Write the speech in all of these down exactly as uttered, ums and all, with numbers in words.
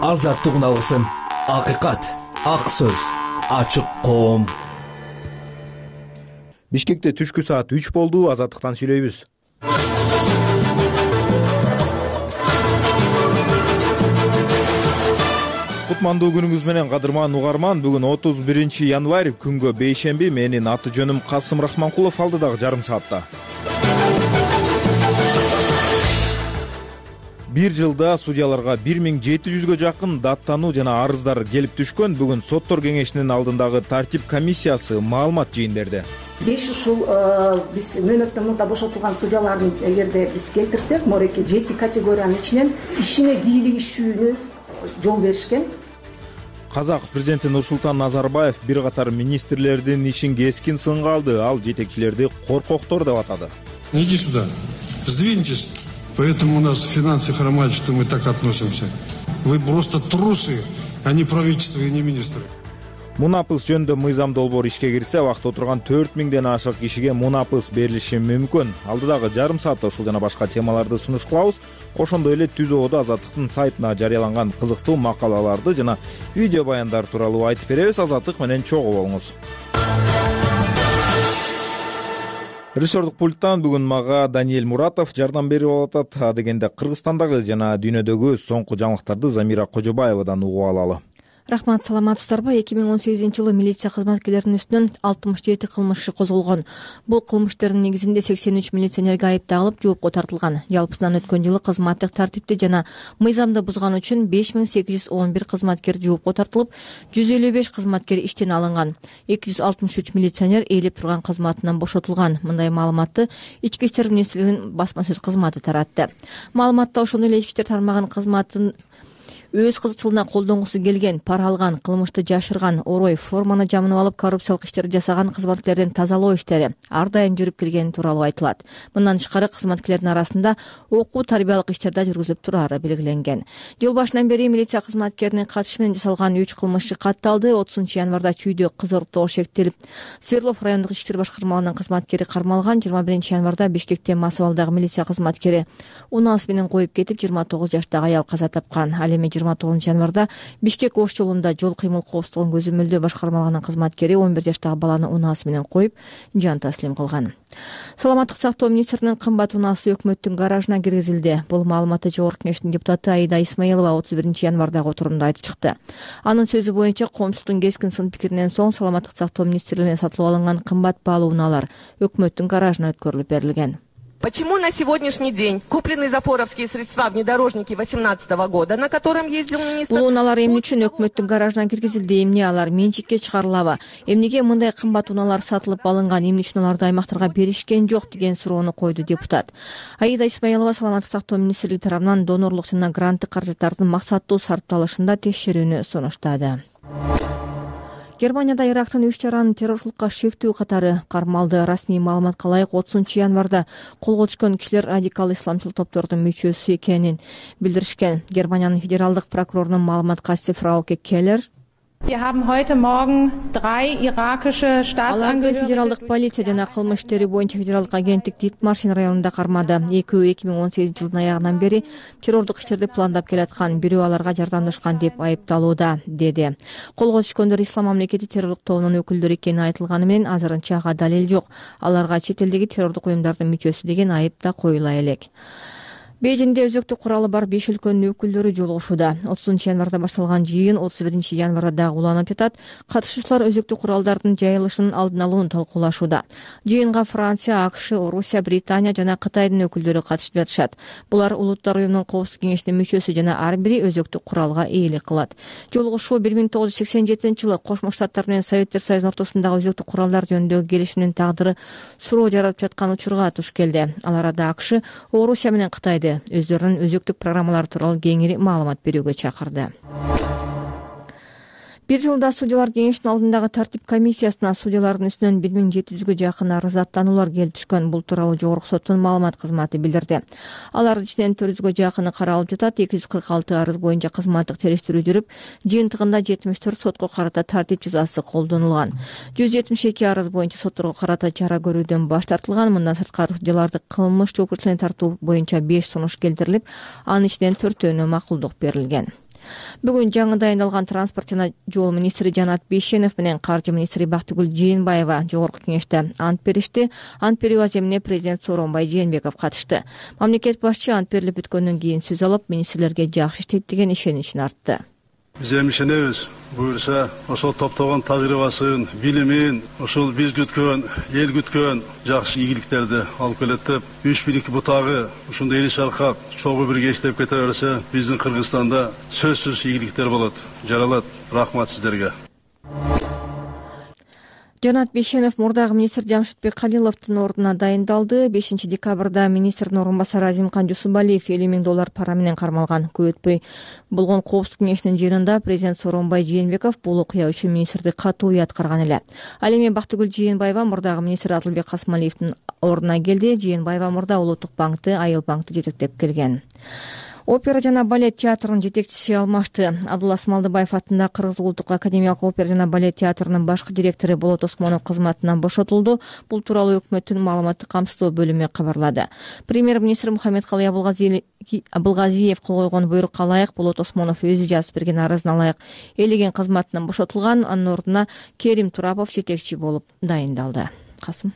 Азаттык алгысым, акыйкат, ак сөз, ачык коом. Бишкекте түшкү саат үч болду. Азаттыктан сүйлөйбүз. Кутмандуу күнүңүз менен кадырман угарман. Бүгүн отуз биринчи январь, күнгө бейшемби. Менин аты жөнүм Касым Рахманкулов. Алдыдагы жарым саатта бир жылда судьяларга бир миң жети жүзгө жакын даттануу жана арыздар келип түшкөн. Бүгүн соттор кеңешинин алдындагы тартип комиссиясы маалымат жыйын берди. Беш ушул биз мөөнөттөн мурда бошотулган судьялардын эгерде биз келтирсек, мореки жети категориянын ичинен ишине кийлигишүүнү жол беришкен. Казак президенти Нурсултан Назарбаев бир катар министрлердин ишин кескин сынга алды. Ал жетекчилерди коркоктор деп атады. Иди сюда, сдвиньтесь. Поэтому у нас финансы хромают, что мы так относимся. Вы просто трусы, а не правительство и не министры. Мунапыс жөнүндө мыйзам долбоор ишке кирсе, убакта отурган төрт миңден ашык кишиге мунапыс берилиши мүмкүн. Алдыдагы жарым саатта ушул жана башка темаларды сунуш кылабыз. Ошондой эле түз ободо Азаттыктын сайтына жарыяланган кызыктуу макалаларды жана видео баяндар тууралуу айтып беребиз. Азаттык менен чогуу болуңуз. Режиссердук пульттан бүгүн мага Даниэль Муратов жардам берип атат. Адегенде Кыргызстандагы жана дүйнөдөгү соңку жаңылыктарды Замира Кожобаевадан угуп алалы. Рахмат, саламатсыздарбы? эки миң он сегизинчи жылы милиция кызматкерлеринин үстүнөн алтымыш жети кылмыш иши козголгон. Бул кылмыштардын негизинде сексен үч милиционерге айып тагылып, жоопко тартылган. Жалпысынан өткөн жылы кызматтык тартипти жана мыйзамды бузган үчүн беш миң сегиз жүз он бир кызматкер жоопко тартылып, жүз элүү беш кызматкер иштен алынган. эки жүз алтымыш үч милиционер ээлеп турган кызматынан бошотулган. Мындай маалыматты Ички иштер министрлигинин басма сөз кызматы таратты. Маалыматта ошондой эле ички иштер тармагынын кызматын өз кызыкчылыгына колдонгусу келген, пара алган, кылмышты жашырган, орой, форманы жамынып алып коррупциялык иштерди жасаган кызматкерлердин тазалоо иштери ар дайым жүрүп келгени тууралуу айтылат. Мындан тышкары кызматкерлердин арасында окуу тарбиялык иштер да жүргүзүлүп турары белгиленген. Жыл башынан бери милиция кызматкеринин катышы менен жасалган үч кылмыш иши катталды. отузунчу январда Чүйдө кыз уруптоо шектелип, Свердлов райондук ички иштер башкармалыгынын кызматкери кармалган. жыйырма биринчи январда Бишкекте Масабалдагы милиция кызматкери унаасы менен коюп кетип, жыйырма тогуз жаштагы аял каза тапкан. Ал эми жыйырма тогузунчу январда Бишкек Ош жолунда жол кыймыл коопсуздугун көзөмөлдөө башкармалыгынын кызматкери он бир жаштагы баланы унаасы менен коюп, жан таслим кылган. Саламаттык сактоо министринин кымбат унаасы өкмөттүн гаражына киргизилди. Бул маалыматты Жогорку Кеңештин депутаты Аида Исмаилова отуз биринчи январдагы отурумда айтып чыкты. Анын сөзү боюнча, коомчулуктун кескин сын пикиринен соң Саламаттык сактоо министрлигине сатылып алынган кымбат баалуу унаалар өкмөттүн гаражына өткөрүлүп берилген. Почему на сегодняшний день куплены запоровские средства внедорожники восемнадцатого года, на котором ездил министр? Бул унаалар эмне үчүн өкмөттүн гаражына киргизилди? Эмне алар менчикке чыгарылабы? Эмнеге мындай кымбат унаалар сатылып алынган? Эмне үчүн аларды аймактарга беришкен жок деген суроону койду депутат. Аида Исмаилова Саламаттык сактоо министрлиги тарабынан донорлук жана гранттык каражаттардын максаттуу сарпталышында текшерүүнү сунуштады. Германияда Ирактын үч жаранын террорчулукка шектүү катары кармалды. Расмий маалыматка ылайык отузунчу январда колго түшкөн кишилер радикал исламчыл топтордун мүчөсү экенин билдиришкен. Германиянын федералдык прокурорунун маалымат катчысы Фрауке Келлер Wir haben heute Morgen drei irakische Staatsangehörige. Федералдык полиция жана кылмыш иштери боюнча федералдык агенттик Дитмаршин районунда кармады. Экөө эки миң он сегизинчи жылдын аягынан бери террордук иштерди пландап келаткан, бирөө аларга жардамдашкан деп айыпталууда, деди. Колго түшкөндөр Ислам мамлекети террордук тобунун өкүлдөрү экени айтылганы менен азырынча ага далил жок. Аларга чет элдеги террордук уюмдардын мүчөсү деген айып да коюла элек. Бейжиңде өзөктүк куралы бар беш өлкөнүн өкүлдөрү жолугушууда. отузунчу январда башталган жыйын отуз биринчи январда дагы уланып жатат. Катышуучулар өзөктүк куралдардын жайылышынын алдын алууну талкуулашууда. Жыйынга Франция, АКШ, Орусия, Британия жана Кытайдын өкүлдөрү катышып жатышат. Булар Улуттар уюмунун коопсуздук кеңешинин мүчөсү жана ар бири өзөктүк куралга ээлик кылат. Жолугушуу бир миң тогуз жүз сексен жетинчи жылы Кошмо Штаттар менен Советтер Союзунун ортосундагы өзөктүк куралдар жөнүндөгү келишимдин тагдыры суроо жаратып жаткан учурга туш келди. Ал арада АКШ Орусия менен Кытайды өздөрүнүн өзөктүк программалары тууралуу кеңири маалымат берүүгө чакырды. Бир жылда судьялар кеңешинин алдындагы тартип комиссиясына судьялардын үстүнөн бир миң жети жүзгө жакын арыз аттануулар келип түшкөн. Бул тууралуу Жогорку соттун маалымат кызматы билдирди. Алардын ичинен төрт жүзгө жакыны каралып жатат. эки жүз кырк алты арыз боюнча кызматтык териштирүү жүрүп, жыйынтыгында жетимиш төрт сотко карата тартип жазасы колдонулган. жүз жетимиш эки арыз боюнча сотторго карата чара көрүүдөн баш тартылган. Мындан сырткары судьяларды кылмыш жоопкерчилигине тартуу боюнча беш сунуш келтирилип, анын ичинен төртөөнө макулдук берилген. Бүгүн жаңы дайындалган транспорт жана жол министри Жанат Бейшенов менен каржы министри Бактыгүл Жээнбаева жогорку кеңеште ант беришти. Ант берүү аземине президент Сооронбай Жээнбеков катышты. Мамлекет башчы ант берилип бүткөндөн кийин сөз алып, министрлерге жакшы иштейт деген ишеничин артты. Биз эми ишенебиз. Буюрса, ошол топтогон тажрыйбасын, билимин, ошол биз күткөн, эл күткөн жакшы ийгиликтерди алып келет деп, үч бийлик бутагы ушундай эли шаркап чогуу бирге иштеп кете берсе, биздин Кыргызстанда сөзсүз ийгиликтер болот. Жаралат. Рахмат сиздерге. Жанат Бейшенов мурдагы министр Жамшитбек Калиловдун ордуна дайындалды. бешинчи декабрда министрдин орун басары Азимкан Жусупалиев элүү миң доллар пара менен кармалган. Көп өтпөй болгон коопсуздук кеңешинин жыйынында президент Сооронбай Жээнбеков бул окуя үчүн министрди катуу уяткарган эле. Ал эми Бактыгүл Жээнбаева мурдагы министр Адылбек Касмалиевдин ордуна келди. Жээнбаева мурда Улуттук банкты, Айыл банкты жетектеп келген. Опера жана балет театрынын жетекчиси алмашты. Абдулла Смалдыбаев атындагы Кыргыз улуттук академиялык опера жана балет театрынын башкы директору Болот Осмонов кызматынан бошотулду. Бул тууралуу өкмөттүн маалыматтык камсыздоо бөлүмү кабарлады. Премьер-министр Мухаммедкалый Абылгазиев кол койгон буйрукка ылайык Болот Осмонов өзү жазып берген арызына ылайык элеген кызматынан бошотулган. Анын ордуна Керим Турапов жетекчи болуп дайындалды. Касым.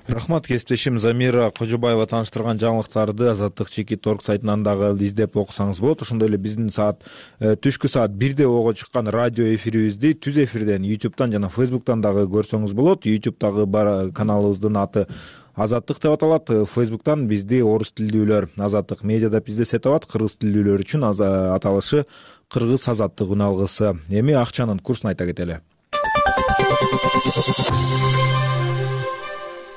Рахмат кесиптешим Замира Кожобаева тааныштырган жаңылыктарды Азаттык чеки торг сайтынан дагы издеп окусаңыз болот. Ошондой эле биздин саат түшкү саат бирде ого чыккан радио эфирибизди түз эфирден YouTube'дан жана Facebook'тан дагы көрсөңүз болот. YouTube'дагы бар каналыбыздын аты Азаттык деп аталат. Facebook'тан бизди орус тилдүүлөр Азаттык медиа деп издесе табат. Кыргыз тилдүүлөр үчүн аталышы Кыргыз Азаттык үналгысы. Эми акчанын курсун айта кетели.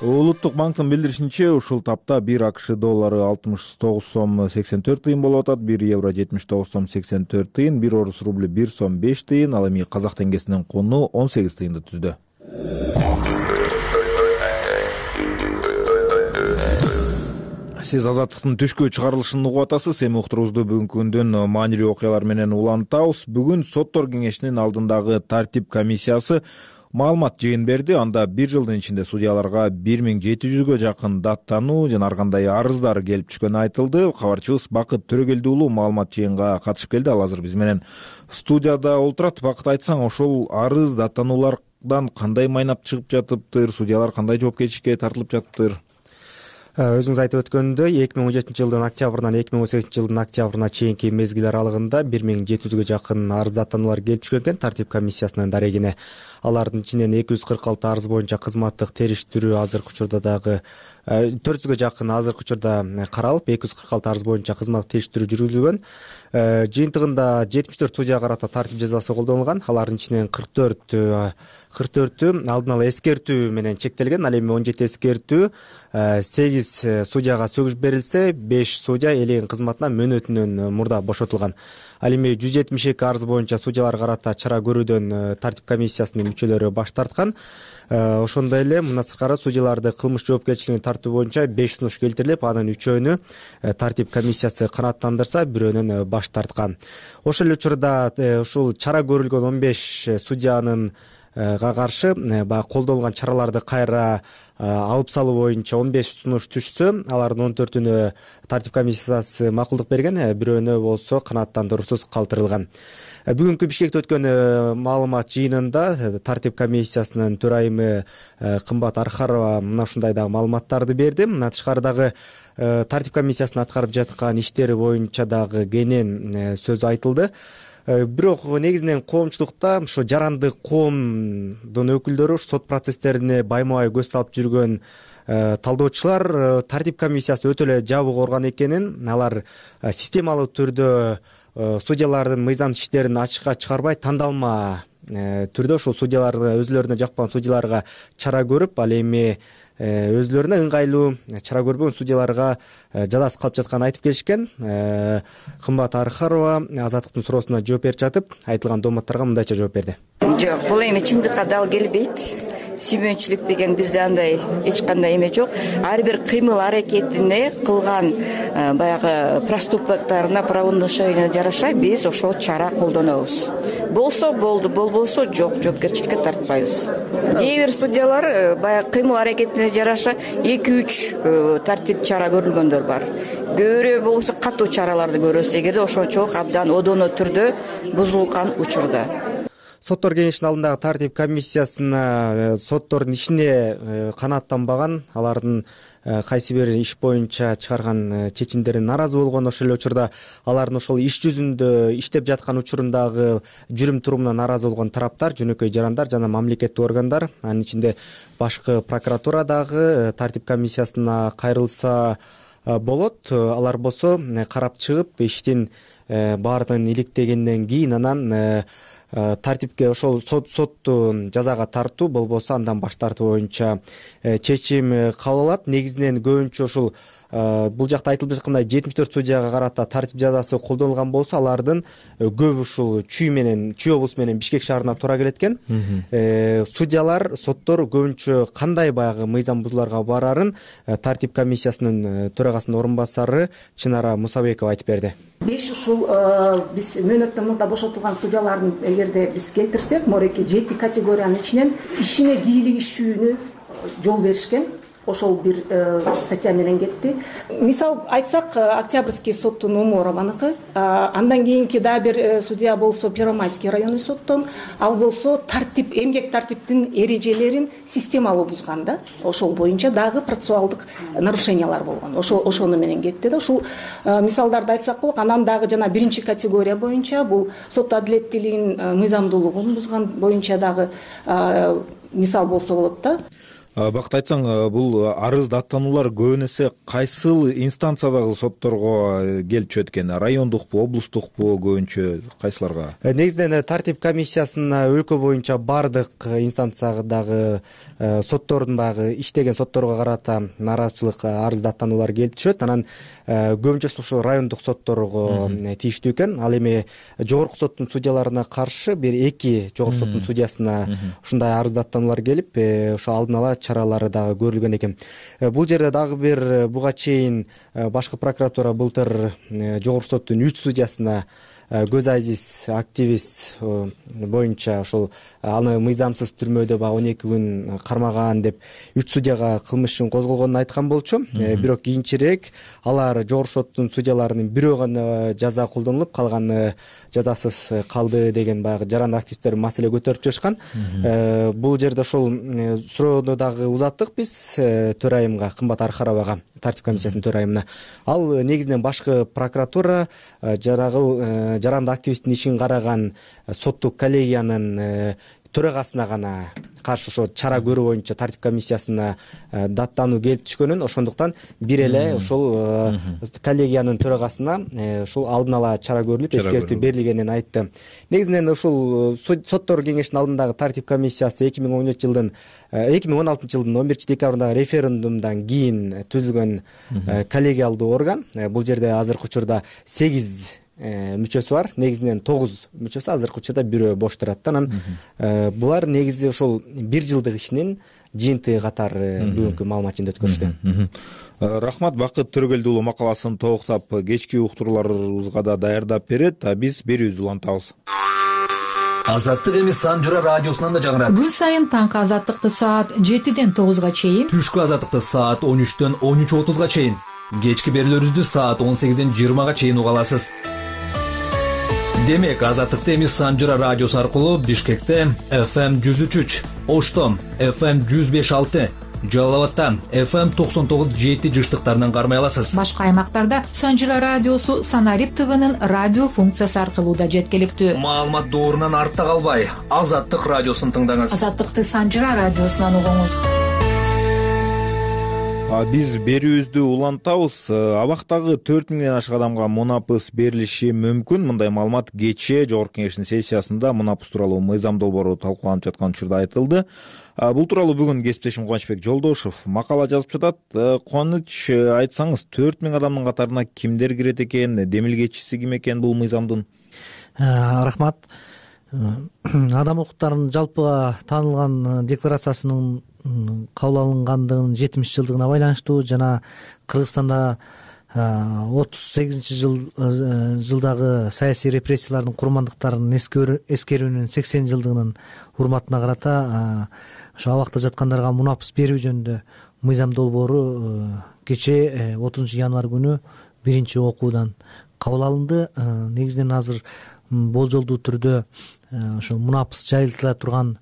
Улуттук банктын билдиришинче, ушул тапта бир АКШ доллары алтымыш тогуз сом сексен төрт тыйын болуп атат, бир евро жетимиш тогуз сом сексен төрт тыйын, бир орус рубль бир сом беш тыйын, ал эми казак теңгесинин куну он сегиз тыйынды түздү. Сиз Азаттыктын түшкү чыгарылышын угуп атасыз. Эми уктуруубузду бүгүнкү күндүн маанилүү окуялар менен улантабыз. Бүгүн соттор кеңешинин алдындагы тартип комиссиясы маалымат жыйын берди. Анда бир жылдын ичинде судьяларга бир миң жети жүзгө жакын даттануу жана ар кандай арыздар келип түшкөнү айтылды. Кабарчыбыз Бакыт Төрөгелди уулу маалымат жыйынга катышып келди. Ал азыр биз менен студияда олтурат. Бакыт, айтсаң, ошол арыз даттануулардан кандай майнап чыгып жатыптыр? Судьялар кандай жоопкерчиликке тартылып жатыптыр? Өзүңүз айтып өткөндөй, эки миң он жетинчи жылдын октябрынан эки миң он сегизинчи жылдын октябрына чейинки мезгил аралыгында бир миң жети жүзгө жакын арыз даттануулар келип түшкөн экен тартип комиссиясынын дарегине. Алардын ичинен эки жүз кырк алты арыз боюнча кызматтык териштирүү азыркы учурда дагы төрт жүзгө жакын азыркы учурда каралып, эки жүз кырк алты арыз боюнча кызматтык териштирүү жүргүзүлгөн. Жыйынтыгында жетимиш төрт судьяга карата тартип жазасы колдонулган. Алардын ичинен кырк төрт кырк төртү алдын ала эскертүү менен чектелген. Ал эми он жети эскертүү, сегиз судьяга сөгүш берилсе, беш судья элеген кызматынан мөөнөтүнөн мурда бошотулган. Ал эми жүз жетимиш эки арыз боюнча судьяларга карата чара көрүүдөн тартип комиссиясынын мүчөлөрү баш тарткан. Ошондой эле мындан сыркары судьяларды кылмыш жоопкерчилигине тартуу боюнча беш сунуш келтирилип, анын үчөөнү тартип комиссиясы канааттандырса, бирөөнөн баш тарткан. Ошол эле учурда ушул чара көрүлгөн он беш судьянын каршы баягы колдонулган чараларды кайра алып салуу боюнча он беш сунуш түшсө, алардын он төртүнө тартип комиссиясы макулдук берген, бирөөнө болсо канааттандыруусуз калтырылган. Бүгүнкү Бишкекте өткөн маалымат жыйынында тартип комиссиясынын төрайымы Кымбат Архарова мына ушундай дагы маалыматтарды берди. Мына тышкары дагы тартип комиссиясынын аткарып жаткан иштери боюнча дагы кенен сөз айтылды. Бирок негизинен коомчулукта ошо жарандык коомдун өкүлдөрү сот процесстерине байма-бай көз салып жүргөн талдоочулар тартип комиссиясы өтө эле жабык орган экенин, алар системалуу түрдө судьялардын мыйзамдык иштерин ачыкка чыгарбай, тандалма түрдө ошол судьяларды өзүлөрүнө жакпаган судьяларга чара көрүп, ал эми өзүлөрүнө ыңгайлуу чара көрбөгөн судьяларга жазасы калып жатканын айтып келишкен. Кымбат Архарова Азаттыктын суроосуна жооп берип жатып, айтылган дооматтарга мындайча жооп берди. Жок, бул эми чындыкка дал келбейт. сүймөнчүлүк деген бизде андай эч кандай эме жок. Ар бир кыймыл аракетине кылган баягы проступкаларына, правонарушенияларына жараша биз ошол чара колдонобуз. Болсо болду, болбосо жок, жоопкерчиликке тартпайбыз. Кээ бир судьялар баягы кыймыл аракетине жараша эки үч тартип чара көрүлгөндөр бар. Көбүрөөк болсо катуу чараларды көрөбүз, эгерде ошончолук абдан одоно түрдө бузулган учурда. Соттор кеңешинин алдындагы тартип комиссиясына соттордун ишине канааттанбаган, алардын кайсы бир иш боюнча чыгарган чечимдерине нааразы болгон, ошол эле учурда алардын ошол иш жүзүндө иштеп жаткан учурундагы жүрүм турумуна нааразы болгон тараптар, жөнөкөй жарандар жана мамлекеттик органдар, анын ичинде башкы прокуратура дагы тартип комиссиясына кайрылса болот. Алар болсо карап чыгып, иштин баардыгын иликтегенден кийин анан тартипке ошол сотту жазага тартуу болбосо андан баш тартуу боюнча чечим кабыл алат. Негизинен көбүнчө ушул бул жакта айтылып жаткандай жетимиш төрт судьяга карата тартип жазасы колдонулган болсо, алардын көбү ушул Чүй менен Чүй облусу менен Бишкек шаарына туура келет экен. Судьялар, соттор көбүнчө кандай баягы мыйзам бузууларга барарын тартип комиссиясынын төрагасынын орун басары Чынара Мусабекова айтып берди. Беш ушул биз мөөнөттөн мурда бошотулган судьялардын эгерде биз келтирсек, мореки жети категориянын ичинен ишине кийлигишүүнү жол беришкен. Ошол бир статья менен кетти. Мисал айтсак, Октябрьский соттун Оморованыкы, андан кийинки дагы бир судья болсо Первомайский районный соттон, ал болсо тартип, эмгек тартиптин эрежелерин системалуу бузган да. Ошол боюнча дагы процессуалдык нарушениялар болгон. Ошол ошону менен кетти да. Ушул мисалдарды айтсак болот. Анан дагы жана биринчи категория боюнча бул сот адилеттүүлүгүн мыйзамдуулугун бузган боюнча дагы мисал болсо болот да. Бакыт айтсаң, бул арыз даттануулар көбүн эсе кайсыл инстанциядагы сотторго келип түшөт экен? Райондукпу, облустукпу, көбүнчө кайсыларга? Негизинен тартип комиссиясына өлкө боюнча бардык инстанциядагы соттордун баягы иштеген сотторго карата нааразычылык арыз даттануулар келип түшөт. Анан көбүнчөсү ушул райондук сотторго тийиштүү экен. Ал эми жогорку соттун судьяларына каршы бир эки жогорку соттун судьясына ушундай арыз даттануулар келип, ошо алдын ала чаралары дагы көрүлгөн экен. Бул жерде дагы бир буга чейин башкы прокуратура былтыр жогорку соттун үч судьясына көз азиз активист боюнча ошол аны мыйзамсыз түрмөдө баягы он эки күн кармаган деп үч судьяга кылмыш ишин козголгонун айткан болчу. Бирок кийинчерээк алар жогорку соттун судьяларынын бирөө гана жаза колдонулуп, калганы жазасыз калды деген баягы жаран активисттер маселе көтөрүп жатышкан. Бул жерде ошол суроону дагы узаттык биз төрайымга, Кымбат Архаровага, тартип комиссиясынын төрайымына. Ал негизинен башкы прокуратура жарагыл жаранды активисттин ишин караган соттук коллегиянын төрагасына гана каршы ошо чара көрүү боюнча тартип комиссиясына даттануу келип түшкөнүн, ошондуктан бир эле ошол коллегиянын төрагасына ушул алдын ала чара көрүлүп, эскертүү берилгенин айтты. Негизинен ушул соттор кеңешинин алдындагы тартип комиссиясы эки миң он жетинчи жылдын эки миң он алтынчы жылдын он биринчи декабрындагы референдумдан кийин түзүлгөн коллегиалдуу орган. Бул жерде азыркы учурда сегиз мүчөсү бар. Негизинен тогуз мүчөсү, азыркы учурда бирөө бош турат. Анан булар негизи ошол бир жылдык ишинин жыйынтыгы катары бүгүнкү маалымат жыйынтыгы өткөрүштү. Рахмат. Бакыт Төрөгелди уулу макаласын толуктап кечки уктурууларыбызга да даярдап берет. Биз берүүбүздү улантабыз. Азаттык эми Санжыра радиосунан да жаңырат. Күн сайын таңкы азаттыкты саат жетиден тогузга чейин, түшкү азаттыкты саат он үчтөн он үч отузга чейин, кечки берүүлөрүбүздү саат он сегизден жыйырмага чейин уга аласыз. Демек, азаттыкты эми Санжыра радиосу аркылуу Бишкекте эф эм жүз үч үч, Ошто эф эм жүз беш алты, Жалал абадта эф эм токсон тогуз жети жыштыктарынан кармай аласыз. Башка аймактарда Санжыра радиосу Санарип ТВнын радио функциясы аркылуу да жеткиликтүү. Маалымат доорунан артта калбай, Азаттык радиосун тыңдаңыз. Азаттыкты Санжыра радиосунан угуңуз. Биз берүүбүздү улантабыз. Абактагы төрт миңден ашык адамга мунапыс берилиши мүмкүн. Мындай маалымат кечээ Жогорку Кеңештин сессиясында мунапыс тууралуу мыйзам долбоору талкууланып жаткан учурда айтылды. Бул тууралуу бүгүн кесиптешим Кубанычбек Жолдошов макала жазып жатат. Кубаныч, айтсаңыз, төрт миң адамдын катарына кимдер кирет экен, демилгечиси ким экен бул мыйзамдын? Рахмат. адам укуктарынын жалпыга таанылган декларациясынын кабыл алынгандыгынын жетимиш жылдыгына байланыштуу жана Кыргызстанда отуз сегизинчи жылдагы саясий репрессиялардын курмандыктарын эскерүүнүн сексен жылдыгынын урматына карата ошо абакта жаткандарга мунапыс берүү жөнүндө мыйзам долбоору кечээ отузунчу январь күнү биринчи окуудан кабыл алынды. Негизинен азыр болжолдуу түрдө ошо мунапыс жайылтыла турган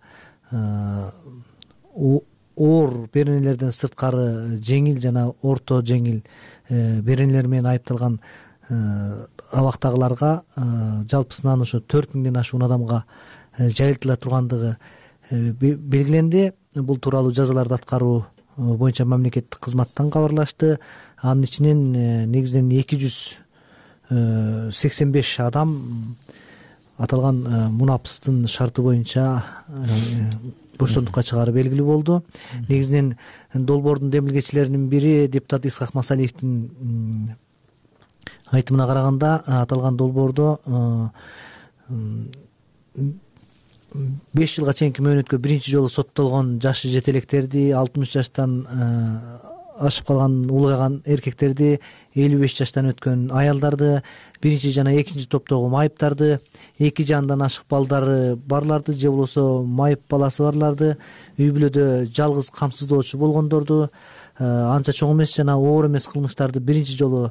оор беренелерден сырткары жеңил жана орто жеңил беренелер менен айыпталган абактагыларга жалпысынан ошо төрт миңден ашуун адамга жайылтыла тургандыгы белгиленди. Бул тууралуу жазаларды аткаруу боюнча мамлекеттик кызматтан кабарлашты. Анын ичинен негизинен эки жүз сексен беш адам аталган мунапыстын шарты боюнча боштондукка чыгаары белгилүү болду. Негизинен долбоордун демилгечилеринин бири депутат Исхак Масалиевдин айтымына караганда аталган долбоордо беш жылга чейинки мөөнөткө биринчи жолу соттолгон жашы жете электерди, алтымыш жаштан ашып калган улгайган эркектерди, элүү беш жаштан өткөн аялдарды, биринчи жана экинчи топтогу майыптарды, эки жандан ашык балдары барларды же болбосо майып баласы барларды, үй бүлөдө жалгыз камсыздоочу болгондорду, анча чоң эмес жана оор эмес кылмыштарды биринчи жолу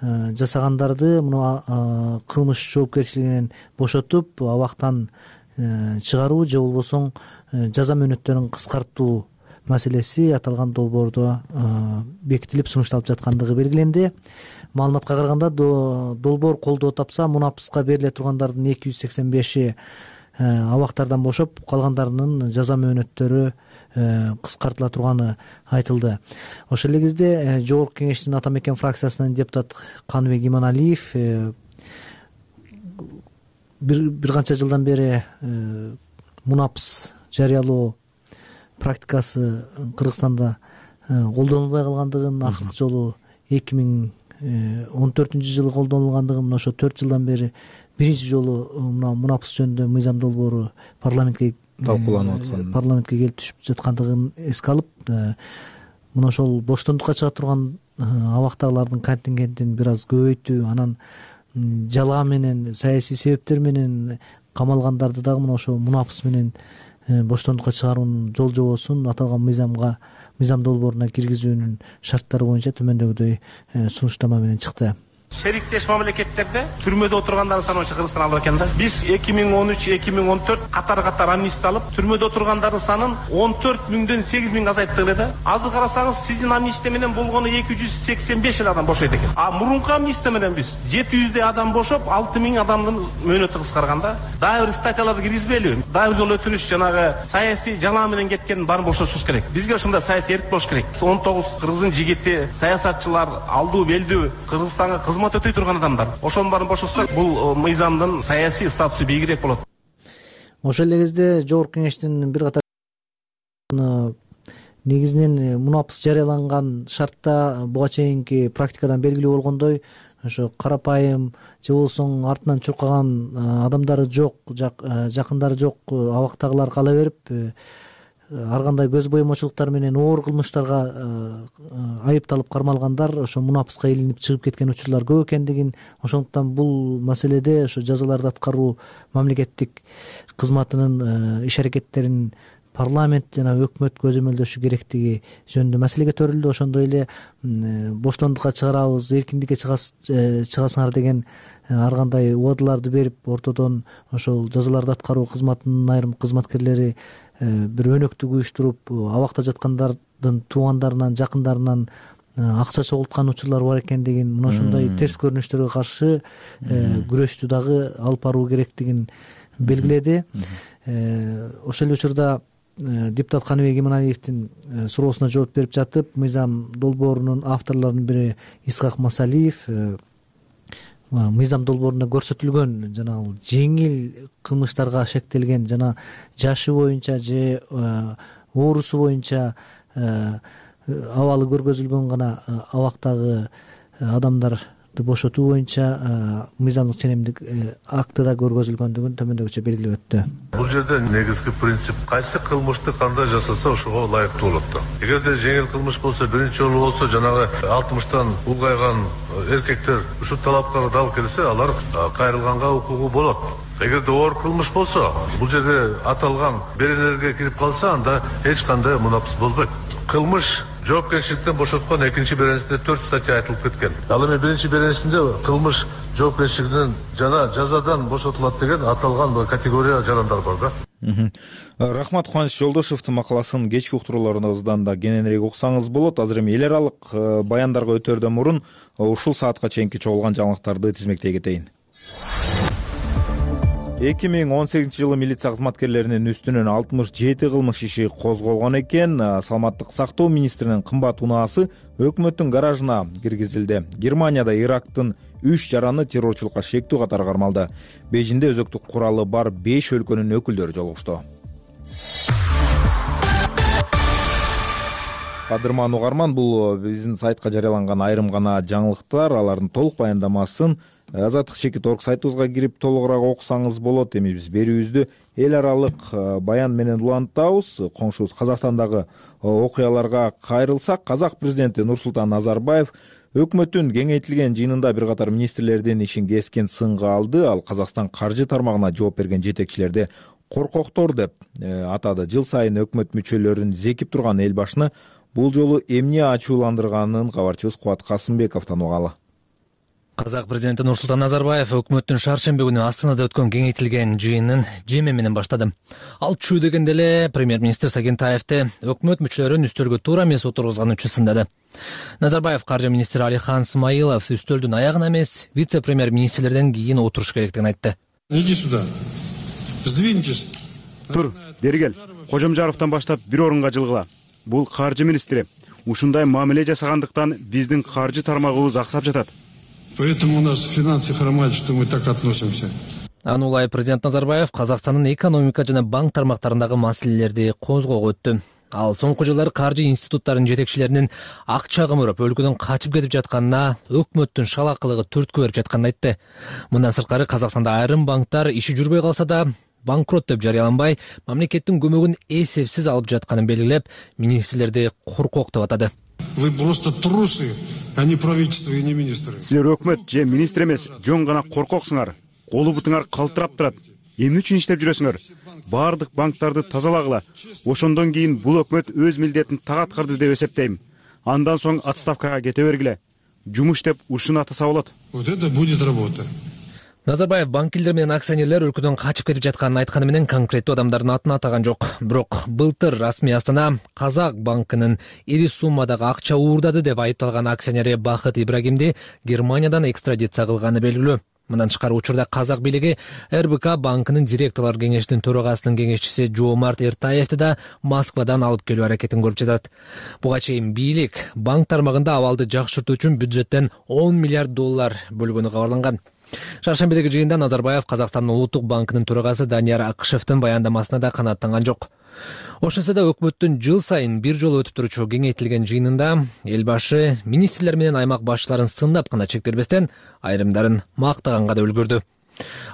жасагандарды муну кылмыш жоопкерчилигинен бошотуп абактан чыгаруу же болбосо жаза мөөнөттөрүн кыскартуу маселеси аталган долбоордо бекитилип сунушталып жаткандыгы белгиленди. Маалыматка караганда долбоор колдоо тапса мунапыска бериле тургандардын эки жүз сексен беши абактардан бошоп, калгандарынын жаза мөөнөттөрү кыскартыла турганы айтылды. Ошол эле кезде Жогорку Кеңештин Ата Мекен фракциясынын депутат Каныбек Иманалиев бир бир канча жылдан бери мунапыс жарыялоо практикасы Кыргызстанда колдонулбай калгандыгын, акыркы жолу эки миң он төртүнчү жылы колдонулгандыгын, ошо төрт жылдан бери биринчи жолу мына мунапыс жөнүндө мыйзам долбоору парламентке талкууланып аткан, парламентке келип түшүп жаткандыгын эске алып, мына ошол боштондукка чыга турган абактагылардын контингентин бир аз көбөйтүү, анан жалаа менен, саясий себептер менен камалгандарды дагы мына ошо мунапыс менен боштондукка чыгаруунун жол жобосун аталган мыйзамга мыйзам долбооруна киргизүүнүн шарттары боюнча төмөндөгүдөй сунуштама менен чыкты. Шериктеш мамлекеттерде түрмөдө отургандардын саны боюнча Кыргызстан алып экен да. Биз эки миң он үч эки миң он төрт катар-катар амнистия алып, түрмөдө отургандардын санын он төрт миңден сегиз миңге азайттык эле да. Азыр карасаңыз, сиздин амнистия менен болгону эки жүз сексен беш эле адам бошойт экен. А мурунку амнистия менен биз жети жүздөй адам бошоп, алты миң адамдын мөөнөтү кыскарган да. Дагы бир статьяларды киргизбейли. Дагы бир жолу өтүнүш, жанагы саясий жалаа менен кеткен баарын бошотушубуз керек. Бизге ошондой саясий эрк болуш керек. он тогуз кыргыздын жигити, саясатчылар, алдуу белдүү Кыргызстанга кызмат өтөй турган адамдар. Ошонун баарын бошотсак, бул мыйзамдын саясий статусу бийигирээк болот. Ошол эле кезде Жогорку Кеңештин бир катар негизинен мунапыс жарыяланган шартта буга чейинки практикадан белгилүү болгондой, ошо карапайым же болбосо артынан чуркаган адамдары жок, жакындары жок абактагылар кала берип, ар кандай көз боемочулуктар менен оор кылмыштарга айыпталып кармалгандар ошо мунапыска илинип чыгып кеткен учурлар көп экендигин, ошондуктан бул маселеде ошо жазаларды аткаруу мамлекеттик кызматынын иш аракеттерин парламент жана өкмөт көзөмөлдөшү керектиги жөнүндө маселеге төрүлдү. Ошондой эле боштондукка чыгарабыз, эркиндикке чыгасыңар деген ар кандай убадаларды берип, ортодон ошол жазаларды аткаруу кызматынын айрым кызматкерлери бир өнөктүк уюштуруп, абакта жаткандардын туугандарынан, жакындарынан акча чогулткан учурлар бар экендигин, мына ошондой терс көрүнүштөргө каршы күрөштү дагы алып баруу керектигин белгиледи. Ошол эле учурда депутат Каныбек Иманалиевдин суроосуна жооп берип жатып, мыйзам долбоорунун авторлорунун бири Исхак Масалиев мыйзам долбоорунда көрсөтүлгөн жана жеңил кылмыштарга шектелген жана жашы боюнча же оорусу боюнча абалы көргөзүлгөн гана абактагы адамдар бошотуу боюнча мыйзамдык ченемдик актыда көргөзүлгөндүгүн төмөндөгүчө белгилеп өттү. Бул жерде негизги принцип кайсы кылмышты кандай жасаса ошого ылайыктуу болот да. Эгерде жеңил кылмыш болсо, биринчи жолу болсо, жанагы алтымыштан улгайган эркектер ушул талапка дал келсе, алар кайрылганга укугу болот. Эгерде оор кылмыш болсо, бул жерде аталган беренелерге кирип калса, анда эч кандай мунапыс болбойт. Кылмыш жоопкерчиликтен бошоткон экинчи беренесинде төрт статья айтылып кеткен. Ал эми биринчи беренесинде кылмыш жоопкерчилигинен жана жазадан бошотулат деген аталган категория жарандар бар да. Рахмат Кубаныч Жолдошевдун макаласын кечки уктурууларыбыздан да кененирээк уксаңыз болот. Азыр эми эл аралык баяндарга өтөрдөн мурун ушул саатка чейинки чогулган жаңылыктарды тизмектей кетейин. эки миң он сегизинчи жылы милиция кызматкерлеринин үстүнөн алтымыш жети кылмыш иши козголгон экен. Саламаттык сактоо министринин кымбат унаасы өкмөттүн гаражына киргизилди. Германияда Ирактын үч жараны террорчулукка шектүү катары кармалды. Бейжиңде өзөктүк куралы бар беш өлкөнүн өкүлдөрү жолугушту. Кадырман угарман, бул биздин сайтка жарыяланган айрым гана жаңылыктар. Алардын толук баяндамасын Азаттык чекит точка орг сайтыбызга кирип толугураак окусаңыз болот. Эми биз берүүбүздү эл аралык баян менен улантабыз. Коңшубуз Казакстандагы окуяларга кайрылсак, Казак президенти Нурсултан Назарбаев өкмөттүн кеңейтилген жыйынында бир катар министрлердин ишин кескен сынга алды. Ал Казакстан каржы тармагына жооп берген жетекчилерди коркоктор деп атады. Жыл сайын өкмөт мүчөлөрүн зекип турган эл башыны бул жолу эмне ачууландырганын кабарчыбыз Кубат Касымбековдон угалы. Казак президенти Нурсултан Назарбаев өкмөттүн шаршемби күнү Астанада өткөн кеңейтилген жыйынын жеме менен баштады. Ал чүү дегенде эле премьер-министр Сагентаевди өкмөт мүчөлөрүн үстөлгө туура эмес отургузган үчүн сындады. Назарбаев каржы министри Алихан Смаилов үстөлдүн аягына эмес, вице-премьер-министрлерден кийин отуруш керектигин айтты. Иди сюда. Сдвиньтесь. Тур, бери кел. Кожомжаровдон баштап бир орунга жылгыла. Бул каржы министри. Ушундай мамиле жасагандыктан биздин каржы тармагыбыз аксап жатат. Поэтому у нас в финансы хромает, что мы так относимся. Анулай президент Назарбаев Казакстандын экономика жана банк тармактарындагы маселелерди козгоого өттү. Ал соңку жылдары каржы институттарынын жетекчилеринин акча кымырып өлкөдөн качып кетип жатканына, өкмөттүн шалакылыгы түрткү берип жатканын айтты. Мындан сырткары Казакстанда айрым банктар иши жүрбөй калса да банкрот деп жарыяланбай, мамлекеттин көмөгүн эсепсиз алып жатканын белгилеп, министрлерди коркок деп атады. Вы просто трусы, а не правительство и не министры. Силер өкмөт же министр эмес, жөн гана коркоксуңар. Колу бутуңар калтырап турат. Эмне үчүн иштеп жүрөсүңөр? Бардык банктарды тазалагыла. Ошондон кийин бул өкмөт өз милдетин так аткарды деп эсептейм. Андан соң отставкага кете бергиле. Жумуш деп ушуну атаса болот. Вот это будет работа. Назарбаев банкирлер менен акционерлер өлкөдөн качып кетип жатканын айтканы менен конкреттүү адамдардын атын атаган жок. Бирок былтыр расмий Астана Казак банкынын ири суммадагы акча уурдады деп айыпталган акционери Бахыт Ибрагимди Германиядан экстрадиция кылганы белгилүү. Мындан тышкары учурда Казак бийлиги эр бэ ка банкынын директорлор кеңешинин төрагасынын кеңешчиси Жоомарт Эртаевди да Москвадан алып келүү аракетин көрүп жатат. Буга чейин бийлик банк тармагында абалды жакшыртуу үчүн бюджеттен он миллиард доллар бөлгөнү кабарланган. Шаршембидеги жыйында Назарбаев Казакстандын улуттук банкынын төрагасы Данияр Акышевдин баяндамасына да канааттанган жок. Ошонсо да өкмөттүн жыл сайын бир жолу өтүп турчу кеңейтилген жыйынында эл башы министрлер менен аймак башчыларын сындап гана чектелбестен, айрымдарын мактаганга да үлгүрдү.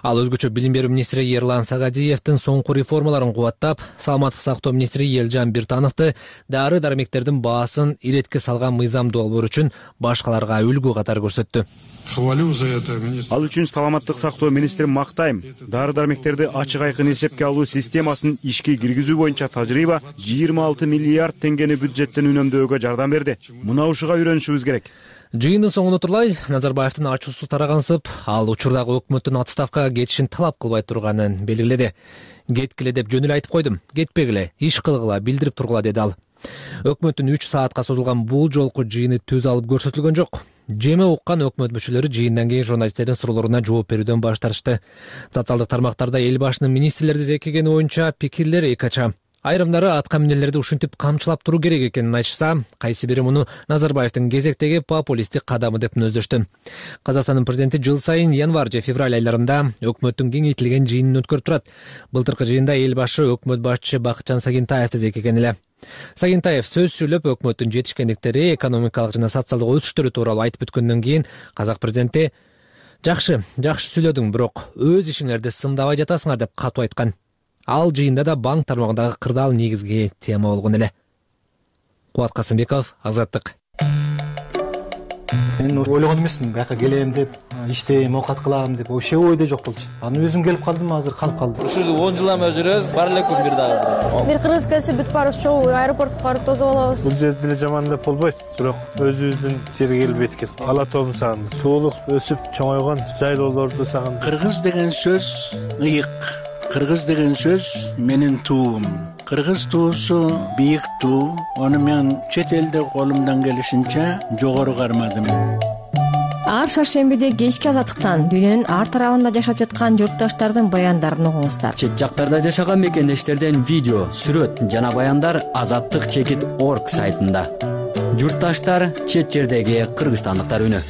Ал өзгөчө билим берүү министри Ерлан Сагадиевдин соңку реформаларын кубаттап, саламаттык сактоо министри Элжан Биртановду дары дармектердин баасын иретке салган мыйзам долбоор үчүн башкаларга үлгү катары көрсөттү. Хвалю за это министр. Ал үчүн саламаттык сактоо министрин мактайм. Дары дармектерди ачык айкын эсепке алуу системасын ишке киргизүү боюнча тажрыйба жыйырма алты миллиард теңгени бюджеттен үнөмдөөгө жардам берди. Мына ушуга үйрөнүшүбүз керек. Жыйындын соңуна турлай Назарбаевдин ачуусу тарагансып, ал учурдагы өкмөттүн отставкага кетишин талап кылбай турганын белгиледи. Кеткиле деп жөн эле айтып койдум, кетпегиле, иш кылгыла, билдирип тургула деди ал. Өкмөттүн үч саатка созулган бул жолку жыйыны төз алып көрсөтүлгөн жок. Жеме уккан өкмөт мүчөлөрү жыйындан кийин журналисттердин суроолоруна жооп берүүдөн баш тартышты. Социалдык тармактарда эл башынын министрлерди зекигени боюнча пикирлер эки ача. Айрымдары атка минерлерди ушинтип камчылап туруу керек экенин айтышса, кайсы бири муну Назарбаевдин кезектеги популисттик кадамы деп мүнөздөштү. Казакстандын президенти жыл сайын январь же февраль айларында өкмөттүн кеңейтилген жыйынын өткөрүп турат. Былтыркы жыйында эл башы өкмөт башчысы Бакытжан Сагентаевди зекеген эле. Сагентаев сөз сүйлөп өкмөттүн жетишкендиктери, экономикалык жана социалдык өсүштөрү тууралуу айтып өткөндөн кийин казак президенти жакшы, жакшы сүйлөдүң, бирок өз ишиңерди сындабай жатасыңар деп катуу айткан. Ал жыйында да банк тармагындагы кырдаал негизги тема болгон эле. Кубат Касымбеков, Азаттык. Мен ойлогон эмесмин, бияка келем деп, иштейм, оокат кылам деп, вообще ойдо жок болчу. Анан өзүм келип калдым, азыр калып калдым. Ушул он жыл эме жүрөбүз, бар эле күн бир дагы. Бир кыргыз келсе бүт баарыбыз чогуу аэропортко барып тосуп алабыз. Бул жерде деле жаман деп болбойт, бирок өзүбүздүн жерге келип эткем. Ала тообун сагындым. Туулук өсүп чоңойгон жайлоолорду сагындым. Кыргыз деген сөз ыйык. Кыргыз деген сөз менин туум. Кыргыз туусу бийик туу. Аны мен чет элде колумдан келишинче жогору кармадым. Ар шаршембиде кечки Азаттыктан дүйнөнүн ар тарабында жашап жаткан журтташтардын баяндарын угуңуздар. Чет жактарда жашаган мекендештерден видео, сүрөт жана баяндар азаттык чекит точка орг сайтында. Журтташтар, чет жердеги кыргызстандыктар үнү.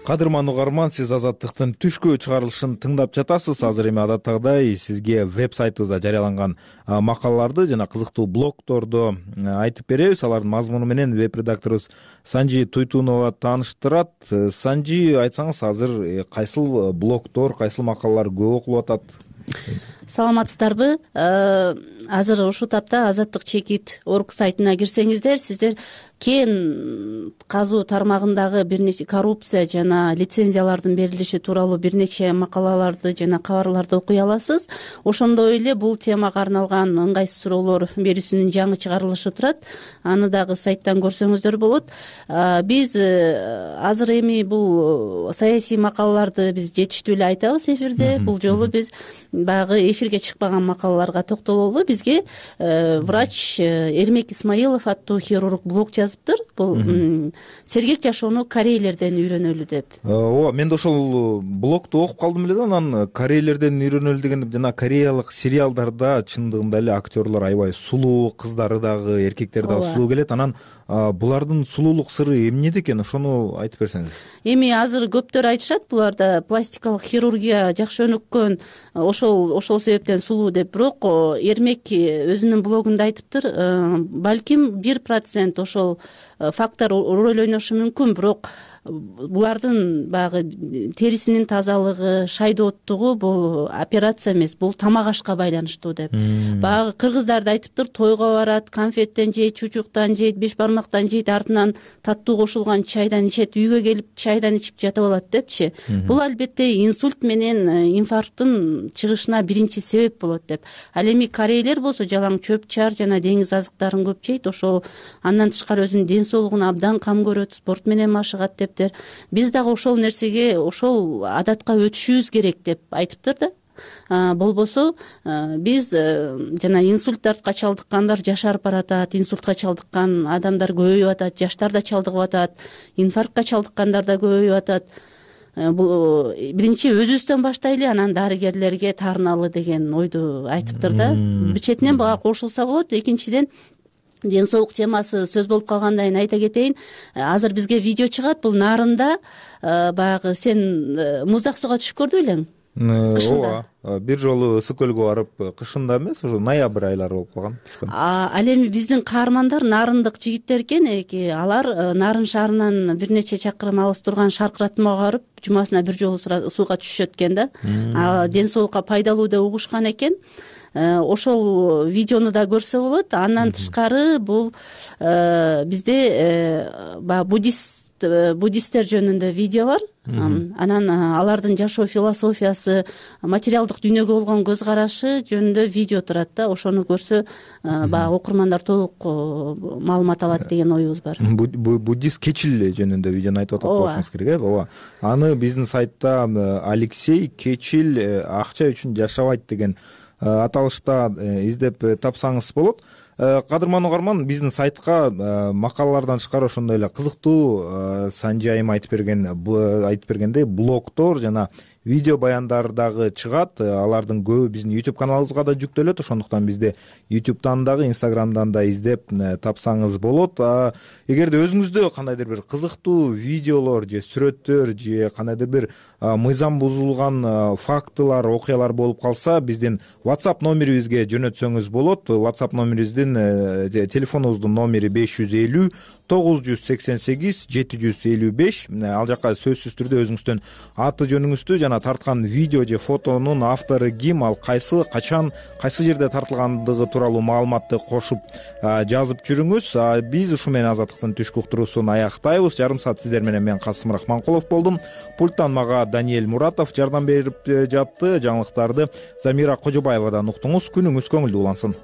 Кадырман угарман, сиз Азаттыктын түшкү чыгарылышын тыңдап жатасыз. Азыр эми адаттагыдай сизге веб-сайтыбызда жарыяланган макалаларды жана кызыктуу блогторду айтып беребиз. Алардын мазмуну менен веб-редакторубуз Санжи Туйтунова тааныштырат. Санжи, айтсаңыз, азыр кайсыл блогтор, кайсыл макалалар көп окулуп атат? Саламатсыздарбы? Азыр ушул тапта азаттык чекит точка орг сайтына кирсеңиздер, сиздер кен казуу тармагындагы бир нече коррупция жана лицензиялардын берилиши тууралуу бир нече макалаларды жана кабарларды окуй аласыз. Ошондой эле бул темага арналган ыңгайсыз суроолор берүүсүнүн жаңы чыгарылышы турат. Аны дагы сайттан көрсөңүздөр болот. Биз азыр эми бул саясий макалаларды биз жетиштүү эле айтабыз эфирде. Бул жолу биз баягы эфирге чыкпаган макалаларга токтололу. Бизге врач Эрмек Исмаилов аттуу хирург блог жазыптыр. Бул сергек жашоону корейлерден үйрөнөлү деп. Ооба, мен да ошол блогду окуп калдым эле да, анан корейлерден үйрөнөлү деген жана кореялык сериалдарда чындыгында эле актерлор аябай сулуу, кыздары дагы, эркектери дагы сулуу келет. Анан булардын сулуулук сыры эмнеде экен, ошону айтып берсеңиз. Эми азыр көптөр айтышат, буларда пластикалык хирургия жакшы өнүккөн, ошол ошол себептен сулуу деп. Бирок Эрмек өзүнүн блогунда айтыптыр, балким бир процент ошол фактор роль ойношу мүмкүн, бирок булардын баягы терисинин тазалыгы, шайдооттугу бул операция эмес, бул тамак ашка байланыштуу деп. Баягы кыргыздар да айтыптыр, тойго барат, конфеттен жейт, чучуктан жейт, беш бармактан жейт, артынан таттуу кошулган чайдан ичет, үйгө келип чайдан ичип жатып алат депчи. Бул албетте инсульт менен инфаркттын чыгышына биринчи себеп болот деп. Ал эми корейлер болсо жалаң чөп чар жана деңиз азыктарын көп жейт, ошол андан тышкары өзүнүн ден соолугуна абдан кам көрөт, спорт менен машыгат деп. Биз дагы ошол нерсеге, ошол адатка өтүшүбүз керек деп айтыптыр да. Болбосо биз жана инсульттарга чалдыккандар жашарып баратат, инсультка чалдыккан адамдар көбөйүп атат, жаштар да чалдыгып атат, инфарктка чалдыккандар да көбөйүп атат. Бул биринчи өзүбүздөн баштайлы, анан дарыгерлерге таарыналы деген ойду айтыптыр да. Бир четинен бага кошулса болот. Экинчиден, ден соолук темасы сөз болуп калгандан айта кетейин. Азыр бизге видео чыгат, бул Нарында баягы сен муздак сууга түшүп көрдү белең? Ооба, бир жолу ысык көлгө барып, кышында эмес, ошо ноябрь айлары болуп калган. Ал эми биздин каармандар нарындык жигиттер экен, алар Нарын шаарынан бир нече чакырым алыс турган Шаркыратмага барып, жумасына бир жолу сууга түшүшөт экен да. Ден соолукка пайдалуу деп угушкан экен. Ошол видеону да көрсө болот. Андан тышкары бул бизде баягы буддист буддисттер жөнүндө видео бар. Анан алардын жашоо философиясы, материалдык дүйнөгө болгон көз карашы жөнүндө видео турат да. Ошону көрсө баягы окурмандар толук маалымат алат деген оюбуз бар. Буддист Кечил жөнүндө видеону айтып атат болушуңуз керек, э? Ооба. Аны биздин сайтта Алексей Кечил акча үчүн жашабайт деген аталышта издеп тапсаңыз болот. кадырман угарман, биздин сайтка макалалардан тышкары ошондой эле кызыктуу сан жайым айтып берген айтып бергендей блогдор жана видео баяндар дагы чыгат. Алардын көбү биздин YouTube каналыбызга да жүктөлөт. Ошондуктан бизди YouTube'дан дагы, Instagram'дан да издеп тапсаңыз болот. Эгерде өзүңүздө кандайдыр бир кызыктуу видеолор же сүрөттөр же кандайдыр бир мыйзам бузулган фактылар, окуялар болуп калса, биздин WhatsApp номерибизге жөнөтсөңүз болот. WhatsApp номерибиздин телефонубуздун номери беш жүз элүү тогуз жүз сексен сегиз жети жүз элүү беш. Ал жака сөзсүз түрдө өзүңүздүн аты жөнүңүздү жана тарткан видео же фотонун автору ким, ал кайсы, качан, кайсы жерде тартылгандыгы тууралуу маалыматты кошуп жазып жүрүңүз. Биз ушу менен Азаттыктын түшкү уктуруусун аяктайбыз. Жарым саат сиздер менен мен Касым Рахманкулов болдум. Пульттан мага Даниэль Муратов жардам берип жатты. Жаңылыктарды Замира Кожобаевадан уктуңуз. Күнүңүз көңүлдүү улансын.